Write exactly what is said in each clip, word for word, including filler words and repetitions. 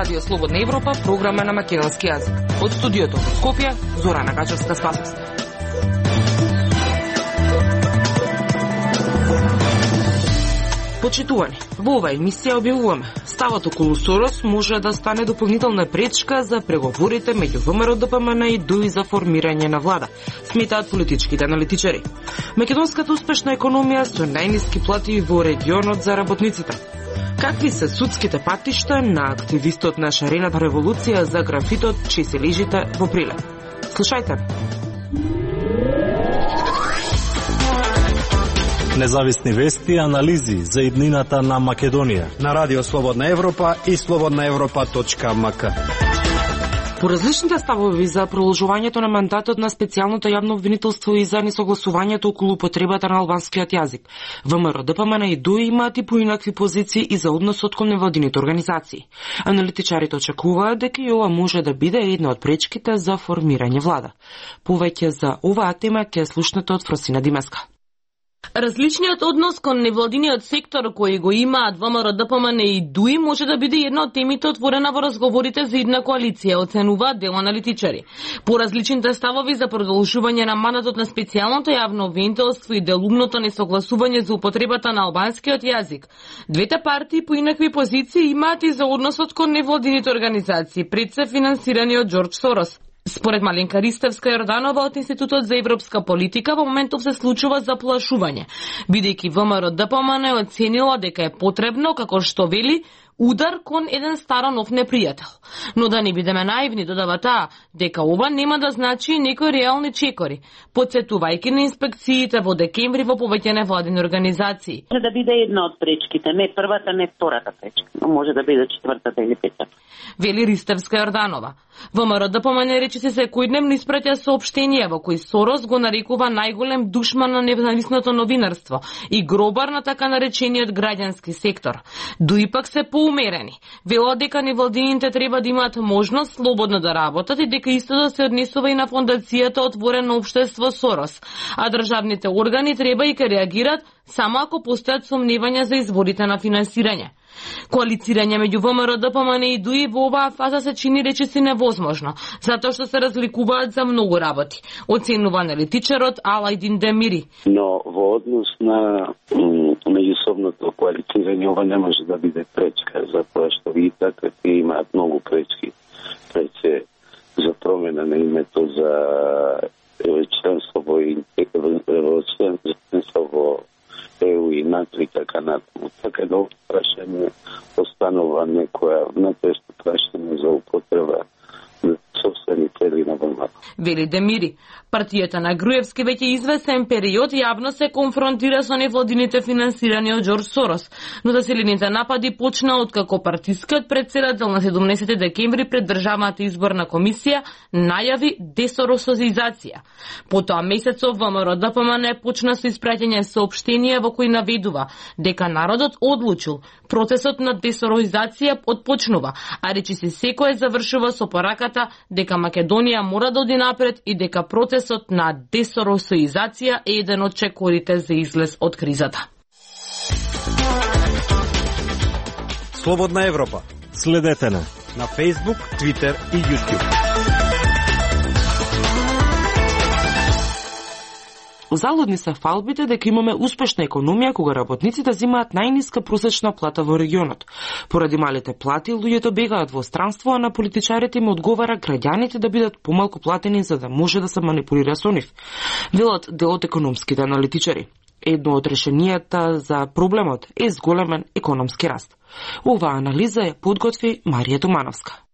Радио Слободна Европа, програма на македонски јазик. Од студиото во Скопје, Зорана Гачевска-Спасовска. Почитувани, во оваа емисија објавуваме ставот околу Сорос може да стане дополнителна пречка за преговорите меѓу ВМРО Д П М Н и Д У И за формирање на влада, сметаат политичките аналитичари. Македонската успешна економија со најниски плати во регионот за работниците. Какви се судските патишта на активистот на шарената револуција за графитот че се лежите во Прилеп? Слушајте. Независни вести и анализи за иднината на Македонија на Радио Слободна Европа и слободна европа точка ем ка. По различните ставови за продолжувањето на мандатот на специјалното јавно обвинителство и за несогласувањето околу потребата на албанскиот јазик, ВМРО Д П М Н и Д У И имаат и поинакви позиции и за односот кон невладините организации. Аналитичарите очекуваат дека и ова може да биде една од пречките за формирање влада. Повеќе за оваа тема ќе слушнете од Фросина Димеска. Различниот однос кон невладиниот сектор кој го имаат ВМРО Д П М Н и Д У И може да биде една од темите отворена во разговорите за идна коалиција, оценуваат дел аналитичари. По различните ставови за продолжување на мандатот на специјалното јавно обвинителство и делумното несогласување за употребата на албанскиот јазик, двете партии по инакви позиции имаат и за односот кон невладините организации, пред се финансирани од Џорџ Сорос. Според Маленка Ристевска-Јорданова од Институтот за европска политика, во моментов се случува заплашување, бидејќи ВМРО Д П М Н оценила дека е потребно, како што вели, удар кон еден старо нов непријател. Но да не бидеме наивни, додава таа, дека ова нема да значи некои реални чекори, подсетувајќи на инспекциите во декември во повеќе невладини организации. Може да биде една од пречките, не првата, не втората пречка, но може да биде четвртата или петата. Вели Ристевска-Јорданова. ВМРО Д П М Н речиси секојдневно испраќа соопштенија во кои Сорос го нарекува најголем душман на независното новинарство и гробар на така наречениот граѓански сектор. Д У И пак се поумерени. Велат дека невладините треба да имаат можност слободно да работат и дека исто да се однесува и на фондацијата Отворено општество Сорос, а државните органи треба и ке реагират само ако постојат сомневања за изворите на финансирање. Коалицирање меѓу ВМРО Д П М Н и Д У И во оваа фаза се чини речиси невозможно, затоа што се разликуваат за многу работи, оценува аналитичарот Алајдин Демири. Но во однос на меѓусобното коалицирање ова не може да биде пречка, затоа што и така имаат многу пречки. Прече за промена на името, за членство во членство во Е У и НАТО и така натаму. Така да прашање останува некоја натешно прашање за употреба на собствени цели на ВМРО. Вели Демири, партијата на Груевски веќе известен период јавно се конфронтира со невладините финансирани од Џорџ Сорос, но заселените напади почна откако партискиот претседател на седумнаесети декември пред Државната изборна комисија најави десоросозизација. Потоа месецов ВМРО Д П М Н почна со испраќање соопштенија во кои наведува дека народот одлучил процесот на десорозизација отпочнува, а речиси секој завршува со пораката дека Македонија мора да оди напред и дека процесот на десоросоизација е еден од чекорите за излез од кризата. Слободна Европа. Следете на на Facebook, Twitter и YouTube. Залудни се фалбите дека имаме успешна економија кога работниците земаат најниска просечна плата во регионот. Поради малите плати, луѓето бегаат во странство, а на политичарите им одговара граѓаните да бидат помалку платени за да може да се манипулира со нив. Велат дел од економските аналитичари. Едно од решенијата за проблемот е зголемен економски раст. Оваа анализа ја подготви Марија Тумановска.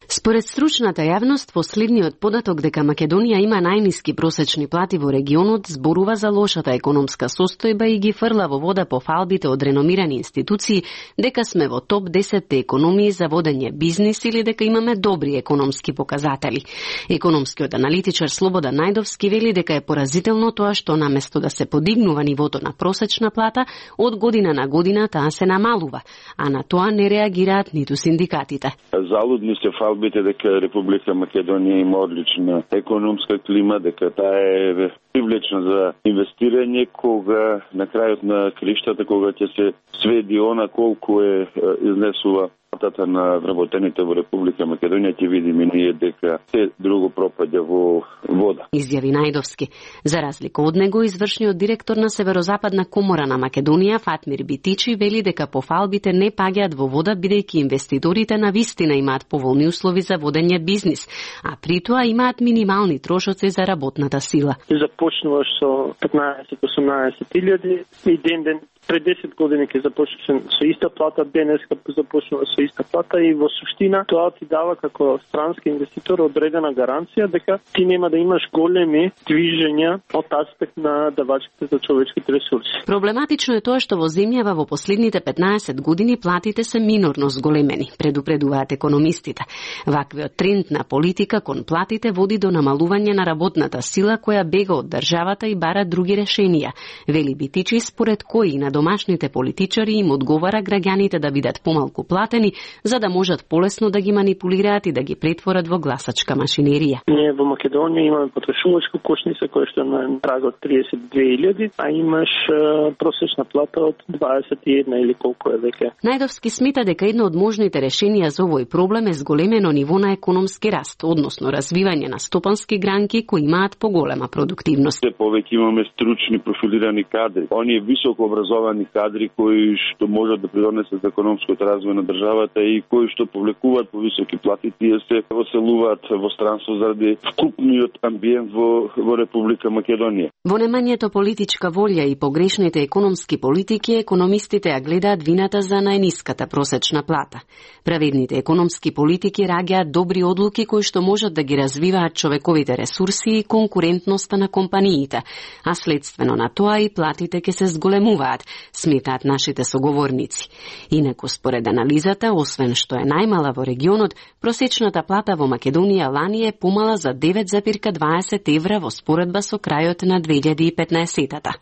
Според стручната јавност, последниот податок дека Македонија има најниски просечни плати во регионот зборува за лошата економска состојба и ги фрла во вода по фалбите од реномирани институции дека сме во топ десет економии за водење бизнис или дека имаме добри економски показатели. Економскиот аналитичар Слободан Најдовски вели дека е поразително тоа што наместо да се подигнува нивото на просечна плата, од година на година таа се намалува, а на тоа не реагираат ниту синдикатите. Залудни се фалби фалбите дека Република Македонија има одлична економска клима, дека таа е привлечна за инвестирање, кога на крајот на криштата, кога ќе се сведи она колку е изнесува платата на вработените во Република Македонија, ќе видиме ние дека се друго пропаѓа во вода. Изјави Најдовски. За разлика од него, извршниот директор на Северозападна комора на Македонија, Фатмир Битичи, вели дека по фалбите не паѓаат во вода, бидејќи инвеститорите на вистина имаат поволни услови за водење бизнис, а при тоа имаат минимални трошоци за работната сила. Започнуваш со петнаесет-осумнаесет илјади и ден ден пред десет години ќе започнеш со иста плата, денеска започнува со иста плата и во суштина тоа ти дава како странски инвеститор одредена гаранција дека ти нема да имаш големи движења од аспект на давачите за човечките ресурси. Проблематично е тоа што во земјава во последните петнаесет години платите се минорно зголемени, предупредуваат економистите. Ваквиот тренд на политика кон платите води до намалување на работната сила која бега од државата и бара други решенија. Вели Битичи, според кои на домашните политичари им одговара граѓаните да бидат помалку платени, за да можат полесно да ги манипулираат и да ги претворат во гласачка машинерија. Ние во Македонија имаме потрошувачка кошница која што е на праг од триесет и две илјади, а имаш е, просечна плата од дваесет и една или колку е веќе. Најдовски смета дека едно од можните решенија за овој проблем е зголемено ниво на економски раст, односно развивање на стопански гранки кои имаат поголема продуктивност. Се повеќе имаме стручни профилирани кадри. Оние високо образовани кадри кои што можат да придонесат за економскиот развој на државата и кои што повлекуваат по високи плати, тие се оселуваат во странство заради вкупниот амбиент во, во Република Македонија. Во немањето политичка волја и погрешните економски политики, економистите ја гледаат вината за најниската просечна плата. Праведните економски политики раѓаат добри одлуки кои што можат да ги развиваат човековите ресурси и конкурентноста на компаниите, а следствено на тоа и платите ќе се зголемуваат, сметаат нашите соговорници. Инаку според анализата, освен што е најмала во регионот, просечната плата во Македонија лани е помала за девет зарез дваесет евра во споредба со крајот на две илјади и петнаесетата.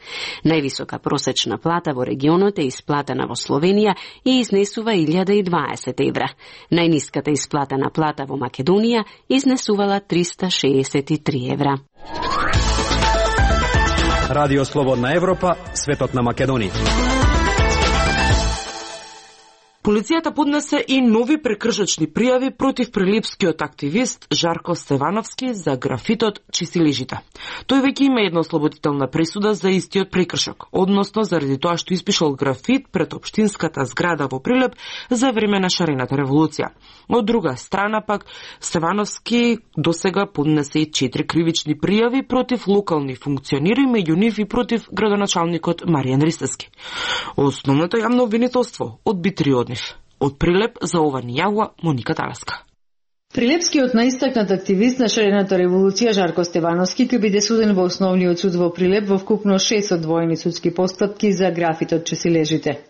Највисока просечна плата во регионот е исплатена во Словенија и изнесува илјада и дваесет евра. Најниската исплатена плата во Македонија изнесувала триста шеесет и три евра. Радио Слободна Европа, светот на Македонија. Полицијата поднесе и нови прекршочни пријави против прилепскиот активист Жарко Стевановски за графитот "Чистилежите". Тој веќе има една ослободителна пресуда за истиот прекршок, односно заради тоа што испишал графит пред општинската зграда во Прилеп за време на шарената револуција. Од друга страна пак, Стевановски досега поднесе и четири кривични пријави против локални функционери, меѓу нив и против градоначалникот Маријан Ристевски. Основното јавно обвинителство одбитри од Од Прилеп за ова ни јавува Моника Таласка. Прилепскиот наистакнат активист на шарената револуција Жарко Стевановски ќе биде суден во основниот суд во Прилеп во вкупно шест одвоени судски постапки за графитот "Чистилежите".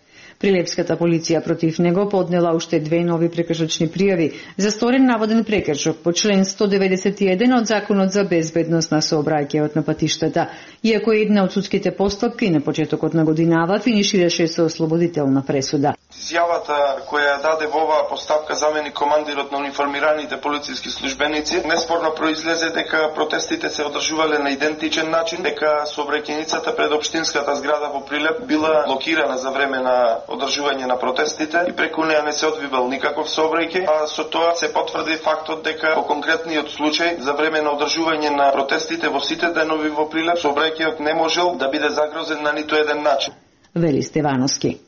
Прилепската полиција против него поднела уште две нови прекршочни пријави за сторен наводен прекршок по член сто деветдесет и еден од Законот за безбедност на сообраќајот на патиштата, иако една од судските постапки на почетокот на годинава финишираше со ослободителна пресуда. Изјавата која даде во оваа постапка заменик командирот на униформираните полициски службеници неспорно произлезе дека протестите се одржувале на идентичен начин, дека сообраќајницата пред општинската зграда во Прилеп била блокирана за време на одржување на протестите и преку неа не се одвивал никаков сообраќај, а со тоа се потврди фактот дека во конкретниот случај за време на одржување на протестите во сите денови во Прилеп сообраќајот не можел да биде загрозен на ниту еден начин. Вели Стевановски.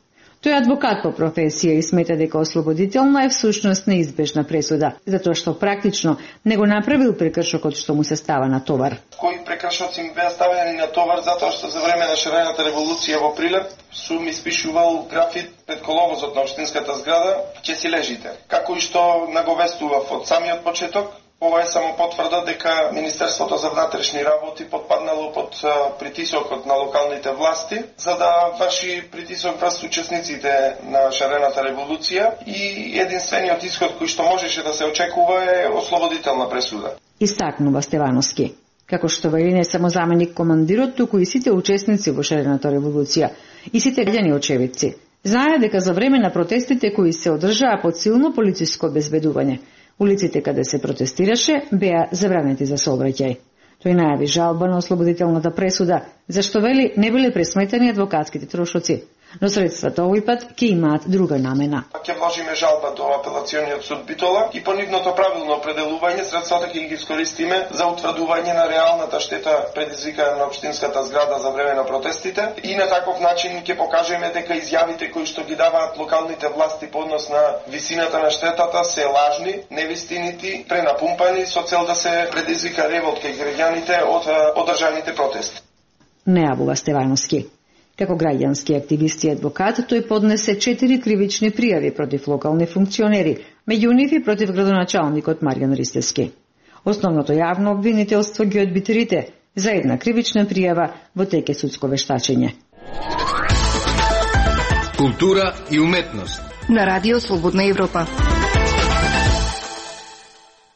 Тој е адвокат по професија и смета дека ослободителна е всушност неизбежна пресуда, затоа што практично не го направил прекршокот што му се става на товар. Кои прекршоци ми беа ставени на товар затоа што за време на шарената револуција во Прилеп сум испишувал графит пред коловозот на општинската зграда "Чистилежите". Како и што наговестував од самиот почеток, ова е само потврда дека Министерството за внатрешни работи потпаднало под притисокот на локалните власти за да врши притисок врз учесниците на шарената револуција и единствениот исход кој што можеше да се очекува е ослободителна пресуда. Истакнува Стевановски. Како што вели не само заменик командирот, туку и сите учесници во шарената револуција и сите граѓани очевидци знае дека за време на протестите кои се одржаа под силно полициско обезбедување, Улиците каде се протестираше беа забранети за сообраќај. Тој најави жалба на ослободителната пресуда, зашто вели не биле пресметени адвокатските трошоци, но средствата овој пат ќе имаат друга намена. Ќе вложиме жалба до апелациониот суд Битола и по нивното правилно определување средствата ќе ги искористиме за утврдување на реалната штета предизвикана на општинската зграда за време на протестите и на таков начин ќе покажеме дека изјавите кои што ги даваат локалните власти по однос на висината на штетата се лажни, невистинити, пренапумпани со цел да се предизвика револт кај граѓаните од одржаните протести. Нејавува Стевановски. Како граѓански активист и адвокат, тој поднесе четири кривични пријави против локални функционери, меѓу нив и против градоначалникот Маријан Ристевски. Основното јавно обвинителство ги одби трите, за една кривична пријава во теке судско вештачење. Култура и уметност на Радио Слободна Европа.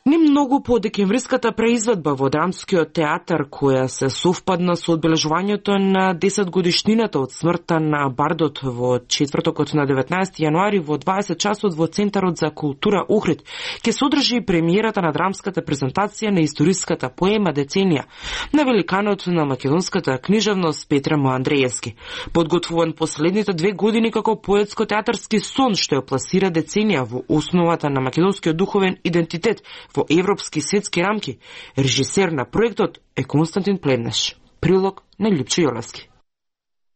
Не многу по декемвриската преизведба во Драмскиот театар, која се совпадна со одбележувањето на десет годишнината од смртта на бардот во четвртокот на деветнаесети јануари во дваесет часот во Центарот за култура Охрид, ќе се одржи премиерата на драмската презентација на историската поема Деценија на великанот на македонската книжевност Петре М. Андреевски, подготвуван последните две години како поетско-театарски сон што ја пласира Деценија во основата на македонскиот духовен идентитет во европски светски рамки. Режисер на проектот е Константин Плевнеш. Прилог на Љупчо Јолевски.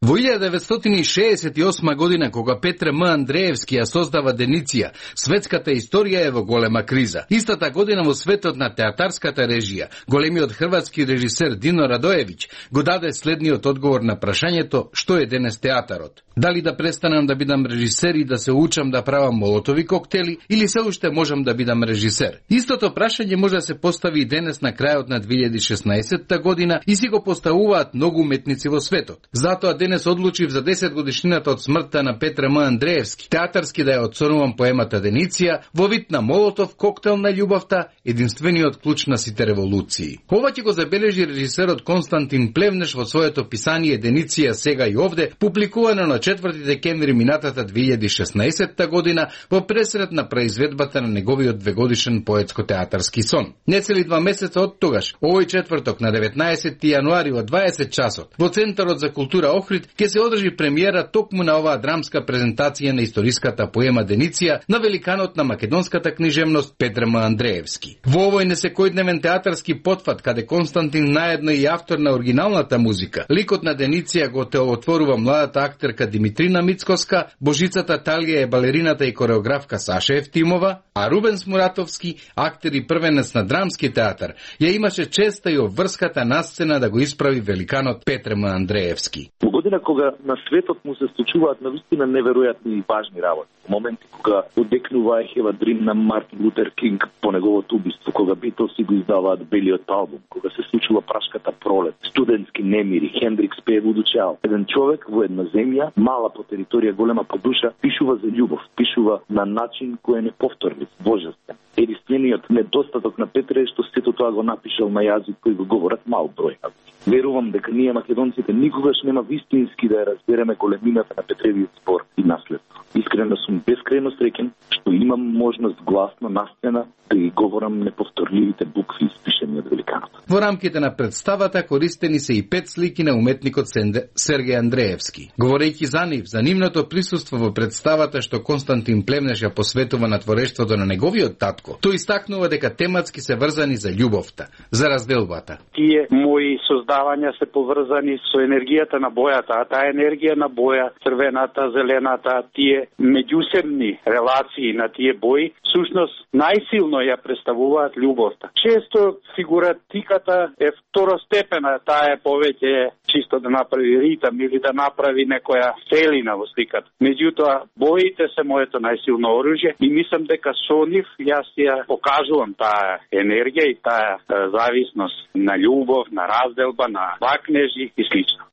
Во илјада деветстотини шеесет и осма година, кога Петре М. Андреевски ја создава Дениција, светската историја е во голема криза. Истата година во светот на театарската режија, големиот хрватски режисер Дино Радоевиќ го даде следниот одговор на прашањето што е денес театарот. Дали да престанам да бидам режисер и да се учам да правам молотови коктели, или се уште можам да бидам режисер? Истото прашање може да се постави и денес на крајот на две илјади и шеснаесетта година и си го поставуваат многу уметници во светот. Затоа денес одлучив за десет годишнината од смртта на Петре М. Андреевски театарски да ја отсонувам поемата Дениција во вид на молотов коктел на љубовта, единствениот клуч на сите револуции. Ова ќе го забележи режисерот Константин Плевнеш во своето писание Дениција сега и овде, публикувано на четврти декември минатата две илјади и шеснаесетта година во пресред на произведбата на неговиот двегодишен поетско-театарски сон. Нецели два месеца од тогаш, овој четврток на деветнаесети јануари во дваесет часот, во Центарот за култура Охрид ќе се одржи премиера токму на оваа драмска презентација на историската поема Дениција на великанот на македонската книжевност Петре М. Андреевски. Во овој несекојдневен театарски потфат, каде Константин наедно и автор на оригиналната музика, ликот на Дениција го те отворува младата актерка Димитрина Мицкоска, Божицата Талија е балерината и кореографка Саша Евтимова, а Рубенс Муратовски, актер и првенец на драмски театар, ја имаше честа и обврската на сцена да го исправи великанот Петре М. Андреевски. Во година кога на светот му се случуваат навистина неверојатни и важни работи, моменти кога одекнува Ехева Дрим на Мартин Лутер Кинг по неговото убиство, кога Битлси го издаваат белиот албум, кога се случува прашката пролет, студентски немири, Хендрикс пее Вуду Чао. Еден човек во една земја, мала по територија, голема по душа, пишува за љубов, пишува на начин кој е неповторлив, божествен. Единствениот недостаток на Петре е што сето тоа го напишал на јазик кој го говорат мал број. Верувам дека ние македонците никогаш нема вистински да ја разбереме големината на Петревиот збор и наследство. Искрено сум бескрајно среќен што имам можност гласно на сцена да ги говорам неповторливите букви испишени од великанот. Во рамките на представата користени се и пет слики на уметникот Сергеј Андреевски. Говорејќи за нив, за нивното присуство во представата што Константин Плевнеш ја посветува на творештвото на неговиот татко, тој истакнува дека тематски се врзани за љубовта, за разделбата. Тие мои создавања се поврзани со енергијата на бојата, а таа енергија на боја, црвената, зелената, тие меѓусебни релации на тие бои, всушност најсилно ја представуваат љубовта. Често фигуратиката е второстепена, таа е повеќе чисто да направи ритам или да направи некоја целина во сликата. Меѓутоа, боите се моето најсилно оружје и мислам дека со нив јас ја покажувам таа енергија и таа зависност на љубов, на разделба, на вакнежи и слично.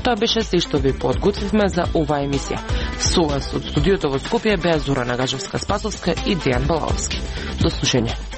Тоа беше се што ви подготвивме за оваа емисија. Со вас од студиото во Скопје беа Зорана Гажевска-Спасовска и Дејан Балаовски. До слушање.